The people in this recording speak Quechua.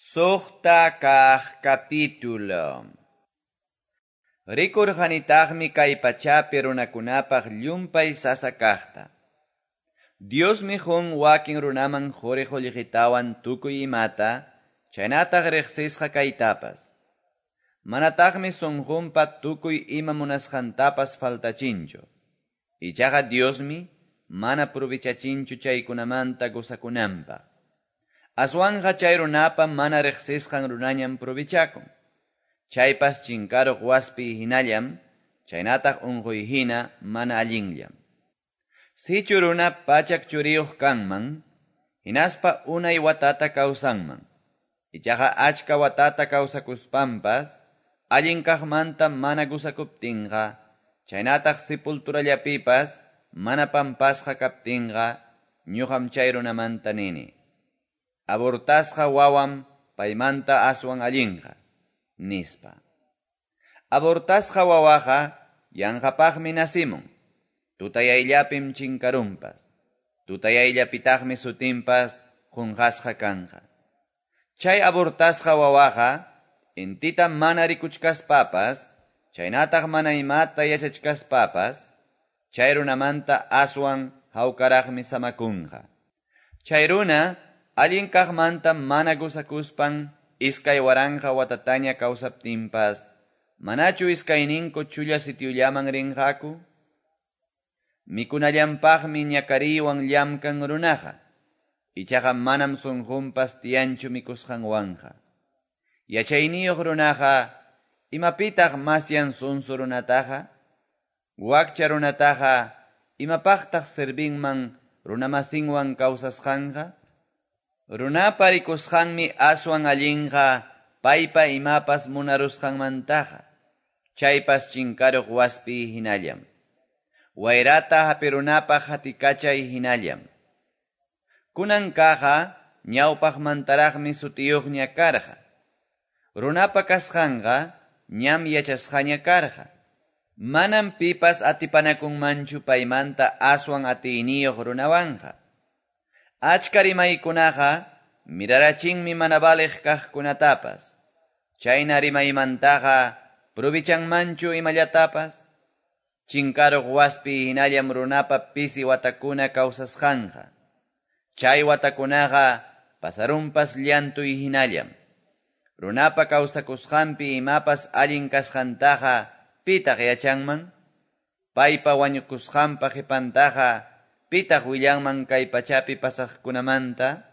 Suqta kaq capítulo. Rikurqanitaqmi kay pachapi runakunapaq llumpay sasa kaqta. Diosmi qun wakin runaman quri qullqitawan tukuy imata, chaynataq riqsisqa kaytapas. Manataqmi sunqunpa tukuy ima munasqantapas faltachinchu. Ichaqa Diosmi mana provechachinchu chaykunamanta gozakunanpaq. Aswanqa chay runapa mana riqsisqan runañam provechakun. Chaypas chinkaruq waspi hinallam, chaynataq unquy hina mana allinllam. Sichu runa pachak churiyuq kanman, hinaspa unay watata kawsanman. Ichaqa achka watata kawsakuspanpas, allin kaqmanta mana gusakuptinqa, chaynataq sepulturallapipas mana pampasqa kaptinqa, ñuqam chay runamanta nini. Abortasqa wawam paymanta aswan allinqa, nispa. Abortasqa wawaqa yanqapaqmi nasimun, tutayayllapim chinkarunpas, tutayayllapitaqmi sutinpas qunqasqa kanqa. Chay abortasqa wawaqa intita mana rikuchkaspapas, chaynataq mana imata yachachkaspapas, chay runamanta aswan hawkaraqmi samakunqa. Chay runa allin kaqmanta mana gusakuspan 2000 watataña kawsaptinpas, manachu iskayninku chulla sitiollaman rinqaku? Mikunallanpaqmi ñakariwan llamkan runaqa, ichaqa manam sunqunpas tiyanchu mikusqanwanqa. Yachayniyuq runaqa, imapitaq masyan sunsu runataqa? Wakcha runataqa, imapaqtaq servinman runamasinwan kawsasqanqa? Runapa rikusqanmi aswan allinqa paypa imapas munarusqanmantaqa, chaypas chinkaruq waspi hinallam. Wayrata hapirunapaq hatikachay hinallam. Kunan kaqa ñawpaqmantaraqmi sutiyuqña karqa. Runapa kasqanqa ñam yachasqaña karqa. Manam pipas atipanakunmanchu paymanta aswan atiyniyuq runawanqa. Achka rimaykunaqa mirarachinmi mana valiq kaqkunatapas. Chayna rimaymantaqa provechanmanchu imallatapas. Chinkaruq waspi hinallam runapa pisi watakuna kawsasqanqa. Chay watakunaqa pasarunpas llantuy hinallam. Runapa kawsakusqanpi imapas allin kasqantaqa pitaq yachanman? Paypa wañukusqanpa qipantaqa pitaq willanman kay pachapi pasaqkunamanta?